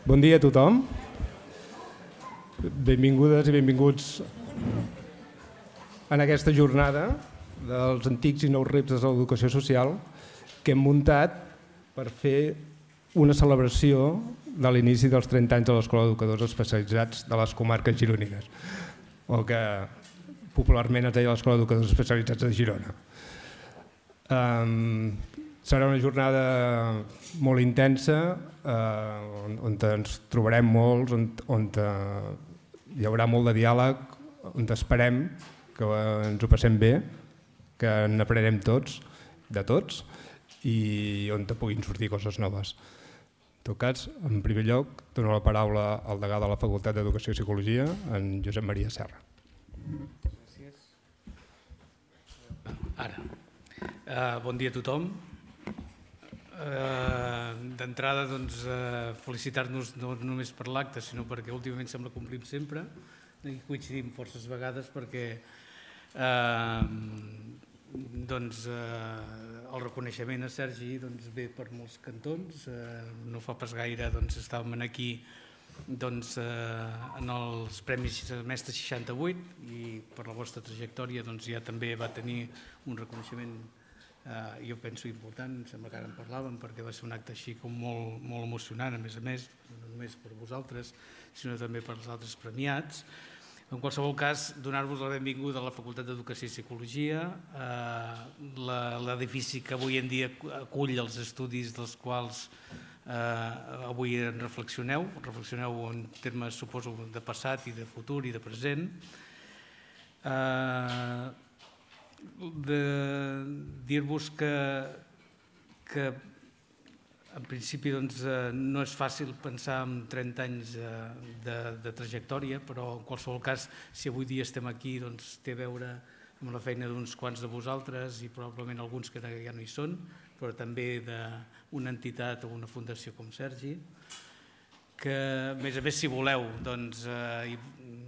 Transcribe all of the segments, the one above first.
Bon dia a tothom. Benvingudes i benvinguts en aquesta jornada dels antics i nous reptes de l'educació social que hem muntat per fer una celebració de l'inici dels 30 anys de l'Escola d'Educadors Especialitzats de les comarques gironines, o que popularment es deia l'Escola d'Educadors Especialitzats de Girona. Serà una jornada molt intensa, on ens trobarem molts, on hi haurà molt de diàleg, on esperem que ens ho passem bé, que n'aprenem tots, de tots, i on puguin sortir coses noves. En tot cas, en primer lloc, dono la paraula al degà de la Facultat d'Educació i Psicologia, en Josep Maria Serra. Gràcies. Ara. Bon dia a tothom. D'entrada, felicitar-nos no només per l'acte, sinó perquè últimament sembla que complim sempre i coincidim forces vegades perquè el reconeixement a Sergi ve per molts cantons. No fa pas gaire estàvem aquí en els Premis Mestre 68 i per la vostra trajectòria ja també va tenir un reconeixement, jo penso, important. Em sembla que ara en parlàvem perquè va ser un acte així com molt emocionant, a més, no només per vosaltres, sinó també per als altres premiats. En qualsevol cas, donar-vos la benvinguda a la Facultat d'Educació i Psicologia, l'edifici que avui en dia acull els estudis dels quals avui en reflexioneu en termes, suposo, de passat i de futur i de present. Dir-vos que en principi no és fàcil pensar en 30 anys de trajectòria, però en qualsevol cas, si avui dia estem aquí, té a veure amb la feina d'uns quants de vosaltres i probablement alguns que ja no hi són, però també d'una entitat o una fundació com Sergi, que a més, si voleu,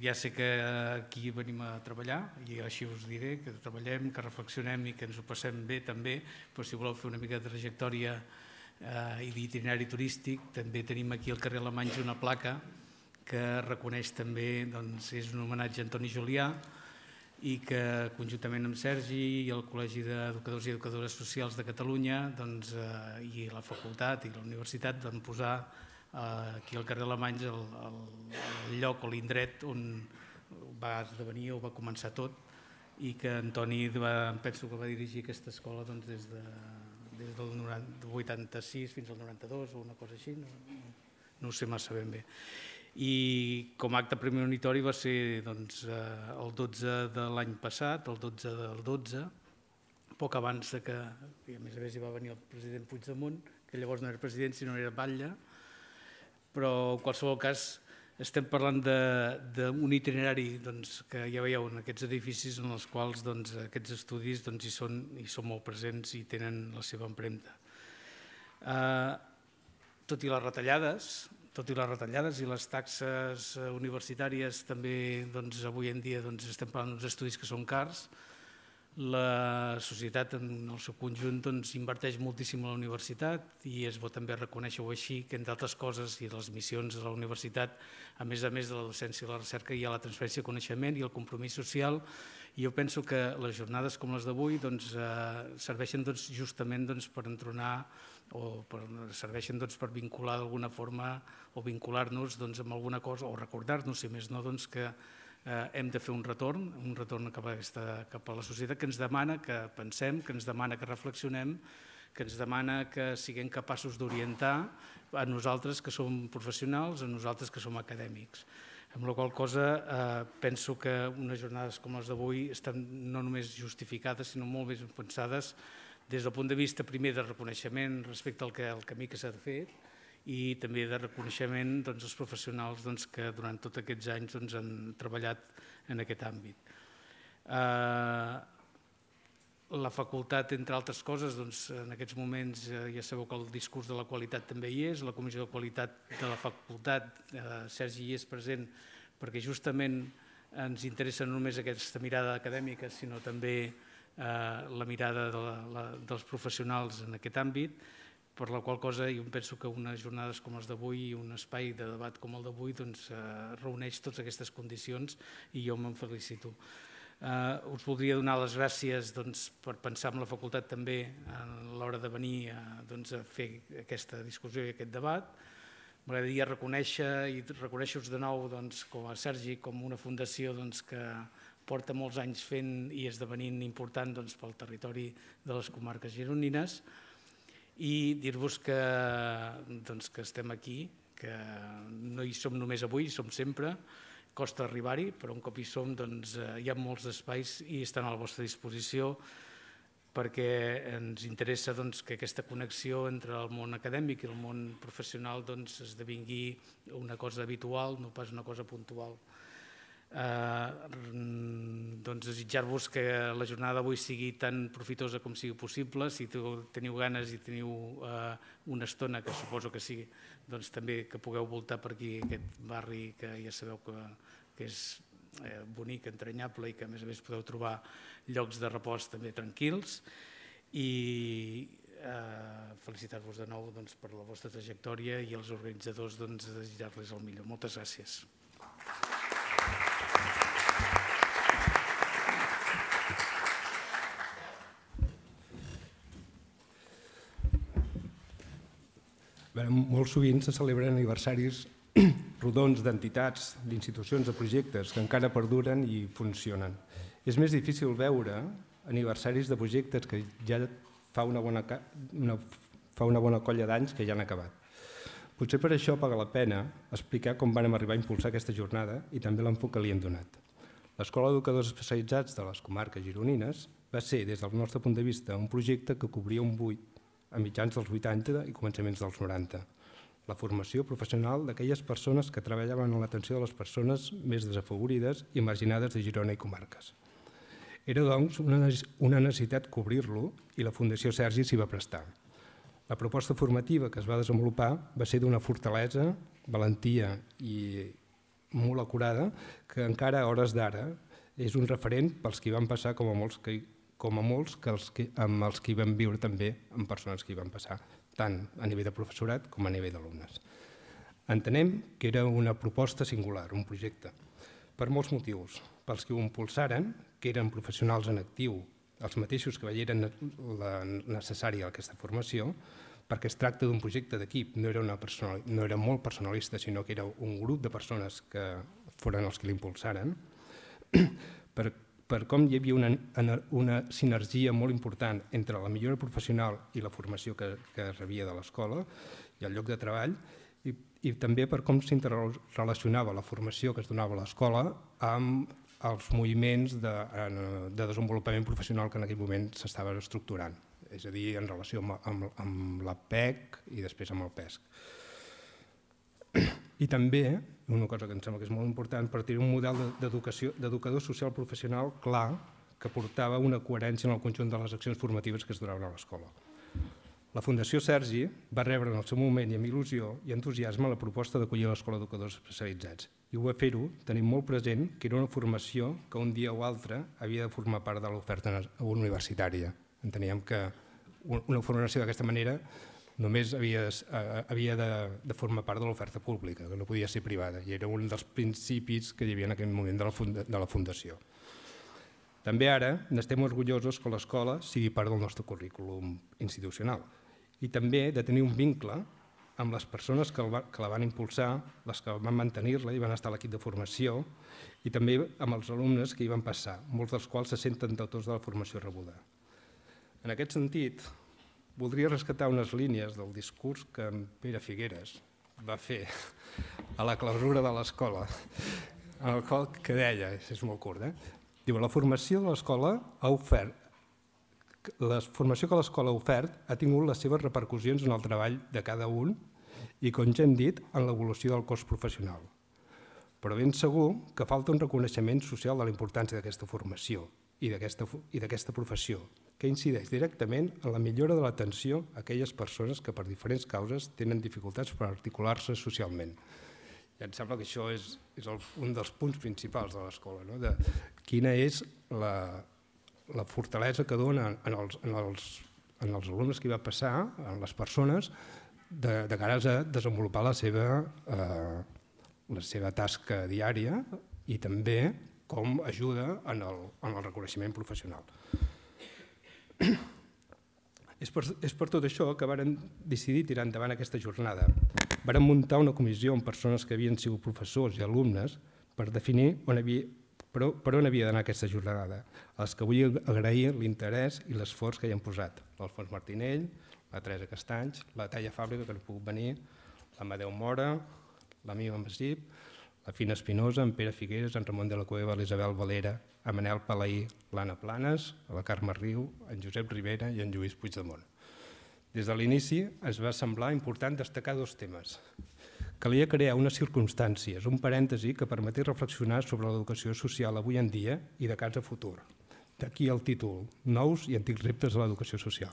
ja sé que aquí venim a treballar i així us diré, que treballem, que reflexionem i que ens ho passem bé també, però si voleu fer una mica de trajectòria i d'itinerari turístic, també tenim aquí al carrer Alemanys una placa que reconeix també, és un homenatge a Antoni Julià i que conjuntament amb Sergi i el Col·legi d'Educadors i Educadores Socials de Catalunya i la facultat i la universitat van posar aquí al carrer Alemanys el lloc o l'indret on va esdevenir o va començar tot i que Antoni penso que va dirigir aquesta escola des del 86 fins al 92 o una cosa així, no ho sé massa ben bé. I com a acte premonitori va ser el 12 de l'any passat, el 12 del 12, poc abans que, a més hi va venir el president Puigdemont, que llavors no era president sinó era batlle, però en qualsevol cas estem parlant d'un itinerari que ja veieu en aquests edificis en els quals aquests estudis hi són molt presents i tenen la seva empremta. Tot i les retallades i les taxes universitàries també avui en dia estem parlant d'uns estudis que són cars, la societat en el seu conjunt inverteix moltíssim a la universitat i és bo també reconèixer-ho així, que entre altres coses i les missions de la universitat, a més de la docència i la recerca, hi ha la transferència de coneixement i el compromís social, i jo penso que les jornades com les d'avui serveixen justament per entronar o serveixen per vincular d'alguna forma o vincular-nos amb alguna cosa o recordar-nos, si més no, que hem de fer un retorn cap a la societat que ens demana que pensem, que ens demana que reflexionem, que ens demana que siguem capaços d'orientar a nosaltres que som professionals, a nosaltres que som acadèmics. Amb la qual cosa penso que unes jornades com les d'avui estan no només justificades, sinó molt més pensades des del punt de vista primer de reconeixement respecte al camí que s'ha fet i també de reconeixement als professionals que durant tots aquests anys han treballat en aquest àmbit. La facultat, entre altres coses, en aquests moments ja sabeu que el discurs de la qualitat també hi és, la comissió de qualitat de la facultat, Sergi hi és present perquè justament ens interessa no només aquesta mirada acadèmica, sinó també la mirada dels professionals en aquest àmbit, per la qual cosa jo penso que unes jornades com les d'avui i un espai de debat com el d'avui reuneix totes aquestes condicions i jo me'n felicito. Us voldria donar les gràcies per pensar en la facultat també a l'hora de venir a fer aquesta discussió i aquest debat. M'agradaria reconèixer-vos de nou com a Sergi, com una fundació que porta molts anys fent i esdevenint important pel territori de les comarques gironines, i dir-vos que estem aquí, que no hi som només avui, hi som sempre, costa arribar-hi, però un cop hi som hi ha molts espais i estan a la vostra disposició perquè ens interessa que aquesta connexió entre el món acadèmic i el món professional esdevingui una cosa habitual, no pas una cosa puntual. Desitjar-vos que la jornada d'avui sigui tan profitosa com sigui possible. Si teniu ganes i teniu una estona, que suposo que sí, també que pugueu voltar per aquí, aquest barri que ja sabeu que és bonic, entranyable i que a més podeu trobar llocs de repòs també tranquils, i felicitar-vos de nou per la vostra trajectòria i als organitzadors desitjar-los el millor. Moltes gràcies. Molt sovint se celebren aniversaris rodons d'entitats, d'institucions, de projectes que encara perduren i funcionen. És més difícil veure aniversaris de projectes que ja fa una bona colla d'anys que ja han acabat. Potser per això paga la pena explicar com vam arribar a impulsar aquesta jornada i també l'enfoc que li hem donat. L'Escola d'Educadors Especialitzats de les Comarques Gironines va ser, des del nostre punt de vista, un projecte que cobria un buit a mitjans dels 80 i començaments dels 90. La formació professional d'aquelles persones que treballaven en l'atenció de les persones més desafavorides i marginades de Girona i comarques. Era, doncs, una necessitat cobrir-lo i la Fundació Sergi s'hi va prestar. La proposta formativa que es va desenvolupar va ser d'una fortalesa, valentia i molt acurada que encara a hores d'ara és un referent pels que hi van passar com a molts amb els que hi van viure també amb persones que hi van passar, tant a nivell de professorat com a nivell d'alumnes. Entenem que era una proposta singular, un projecte, per molts motius. Pels que ho impulsaren, que eren professionals en actiu, els mateixos que veieren necessària aquesta formació, perquè es tracta d'un projecte d'equip, no era molt personalista, sinó que era un grup de persones que foren els que l'impulsaren, per com hi havia una sinergia molt important entre la millora professional i la formació que rebia de l'escola i el lloc de treball, i també per com s'interrelacionava la formació que es donava a l'escola amb els moviments de desenvolupament professional que en aquell moment s'estaven estructurant, és a dir, en relació amb la PEC i després amb el PESC. I també, una cosa que em sembla que és molt important, per tenir un model d'educador social professional clar que portava una coherència en el conjunt de les accions formatives que es donaven a l'escola. La Fundació Sergi va rebre en el seu moment i amb il·lusió i entusiasme la proposta d'acollir l'Escola d'Educadors Especialitzats i ho va fer-ho tenint molt present que era una formació que un dia o altre havia de formar part de l'oferta universitària. Enteníem que una formació d'aquesta manera només havia de formar part de l'oferta pública, que no podia ser privada, i era un dels principis que hi havia en aquell moment de la Fundació. També ara n'estem orgullosos que l'escola sigui part del nostre currículum institucional i també de tenir un vincle amb les persones que la van impulsar, les que van mantenir-la i van estar a l'equip de formació, i també amb els alumnes que hi van passar, molts dels quals se senten deutors de la formació rebuda. En aquest sentit, voldria rescatar unes línies del discurs que en Pere Figueres va fer a la clausura de l'escola, en el qual que deia, és molt curt, diu, la formació que l'escola ha ofert ha tingut les seves repercussions en el treball de cada un i, com ja hem dit, en l'evolució del cos professional. Però ben segur que falta un reconeixement social de la importància d'aquesta formació i d'aquesta professió, que incideix directament en la millora de l'atenció a aquelles persones que per diferents causes tenen dificultats per articular-se socialment. I em sembla que això és un dels punts principals de l'escola, de quina és la fortalesa que dona en en els alumnes que hi va passar, en les persones, de cara a desenvolupar la seva tasca diària i també com ajuda en el reconeixement professional. És per tot això que vàrem decidir tirar endavant aquesta jornada. Vàrem muntar una comissió amb persones que havien sigut professors i alumnes per definir per on havia d'anar aquesta jornada, als que vull agrair l'interès i l'esforç que hi han posat. L'Alfons Martinell, la Teresa Castanys, la Talla Fàbrica, que no ha pogut venir, l'Amadeu Mora, la Mima Masip, la Fina Espinosa, en Pere Figueres, en Ramon de la Cueva, l'Isabel Valera, en Manel Palaí, l'Anna Planes, la Carme Riu, en Josep Rivera i en Lluís Puigdemont. Des de l'inici ens va semblar important destacar dos temes. Calia crear unes circumstàncies, un parèntesi que permetés reflexionar sobre l'educació social avui en dia i de cara a futur. D'aquí el títol, Nous i antics reptes de l'educació social.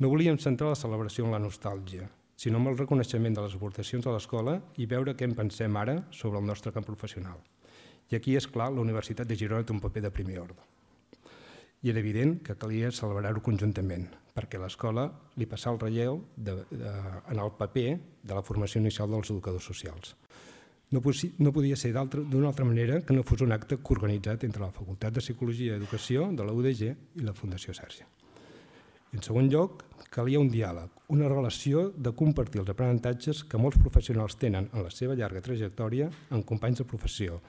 No volíem centrar la celebració en la nostàlgia, sinó en el reconeixement de les aportacions a l'escola i veure què en pensem ara sobre el nostre camp professional. I aquí, és clar, la Universitat de Girona té un paper de primer ordre. I era evident que calia celebrar-ho conjuntament, perquè l'escola li passà el relleu en el paper de la formació inicial dels educadors socials. No podia ser d'una altra manera que no fos un acte coorganitzat entre la Facultat de Psicologia i Educació de la UDG i la Fundació Sàrcia. En segon lloc, calia un diàleg, una relació de compartir els aprenentatges que molts professionals tenen en la seva llarga trajectòria amb companys de professió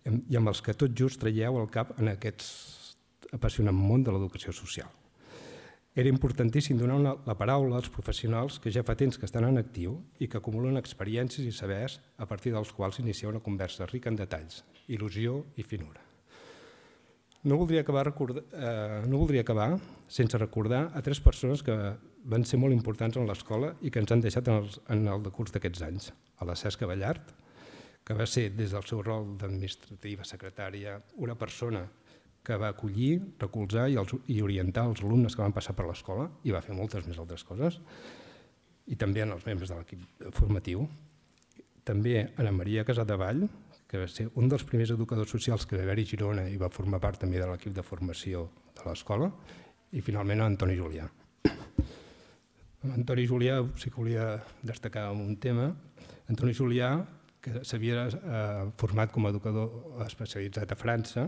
i amb els que tot just traieu al cap en aquest apassionant món de l'educació social. Era importantíssim donar la paraula als professionals que ja fa temps que estan en actiu i que acumulen experiències i sabers a partir dels quals iniciar una conversa rica en detalls, il·lusió i finura. No voldria acabar sense recordar a tres persones que van ser molt importants en l'escola i que ens han deixat en el decurs d'aquests anys. A la Cesca Ballart, que va ser des del seu rol d'administrativa secretària una persona que va acollir, recolzar i orientar els alumnes que van passar per l'escola i va fer moltes més altres coses, i també en els membres de l'equip formatiu. També Ana Maria Casadevall, que va ser un dels primers educadors socials que va haver-hi a Girona i va formar part també de l'equip de formació de l'escola, i finalment Antoni Julià. Antoni Julià sí que volia destacar un tema. Antoni Julià, que s'havia format com a educador especialitzat a França,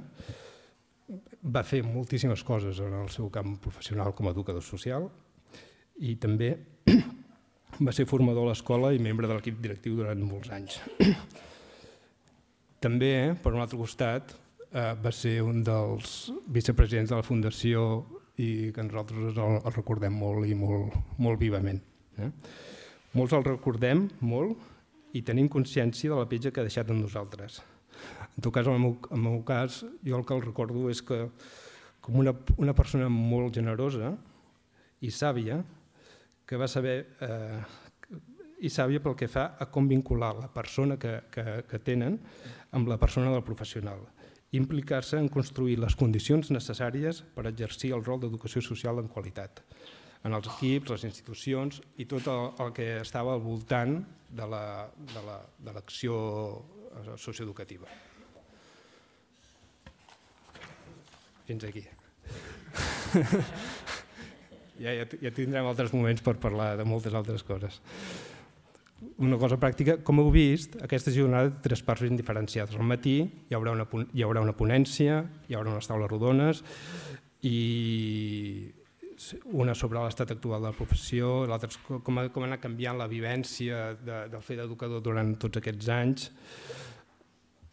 va fer moltíssimes coses en el seu camp professional com a educador social i també va ser formador a l'escola i membre de l'equip directiu durant molts anys. També, per un altre costat, va ser un dels vicepresidents de la Fundació i que nosaltres el recordem molt i molt vivament. Molts el recordem molt i tenim consciència de la petja que ha deixat en nosaltres. En tot cas, en el meu cas, jo el que el recordo és que com una persona molt generosa i sàvia, que va saber, i sàvia pel que fa a com vincular la persona que tenen amb la persona del professional, implicar-se en construir les condicions necessàries per exercir el rol d'educació social en qualitat, en els equips, les institucions i tot el que estava al voltant de l'acció socioeducativa. Fins aquí. Ja tindrem altres moments per parlar de moltes altres coses. Una cosa pràctica, com heu vist, aquesta jornada té tres parts ben diferenciades. Al matí hi haurà una ponència, hi haurà unes taules rodones i una sobre l'estat actual de la professió, l'altra com ha anat canviant la vivència del fer d'educador durant tots aquests anys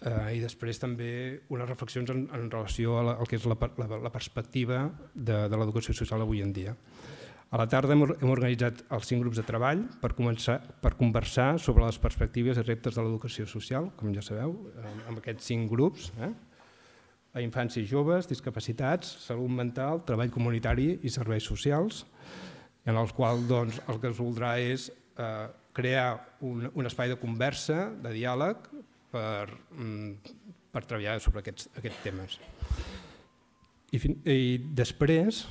i després també unes reflexions en relació al que és la perspectiva de l'educació social avui en dia. A la tarda hem organitzat els 5 grups de treball per conversar sobre les perspectives i reptes de l'educació social, com ja sabeu, amb aquests 5 grups, a infància i joves, discapacitats, salut mental, treball comunitari i serveis socials, en els quals el que es voldrà és crear un espai de conversa, de diàleg, per treballar sobre aquests temes. I després,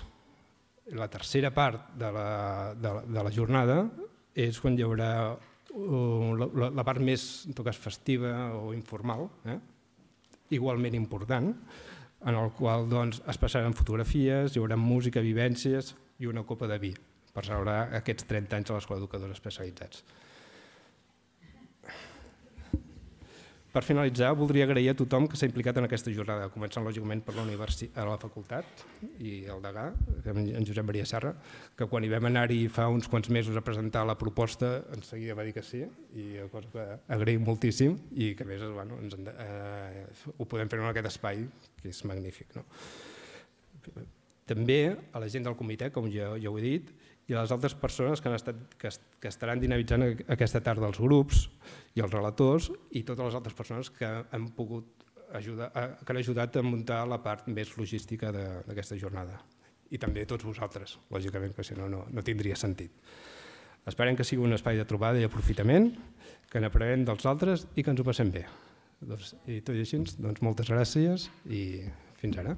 la tercera part de la jornada és quan hi haurà la part més, en tot cas, festiva o informal, igualment important, en el qual es passaran fotografies, hi haurà música, vivències i una copa de vi per celebrar aquests 30 anys a l'Escola d'Educadors Especialitzats. Per finalitzar, voldria agrair a tothom que s'ha implicat en aquesta jornada, començant lògicament per la facultat i el degà, en Josep Maria Serra, que quan hi vam anar-hi fa uns quants mesos a presentar la proposta, en seguida va dir que sí, i cosa que agraïm moltíssim i que a més ho podem fer en aquest espai, que és magnífic. També a la gent del comitè, com ja ho he dit, i a les altres persones que estaran dinamitzant aquesta tarda, els grups i els relators i totes les altres persones que han ajudat a muntar la part més logística d'aquesta jornada. I també tots vosaltres, lògicament, perquè si no, no tindria sentit. Esperem que sigui un espai de trobada i aprofitament, que n'aprenem dels altres i que ens ho passem bé. I tot i així, moltes gràcies i fins ara.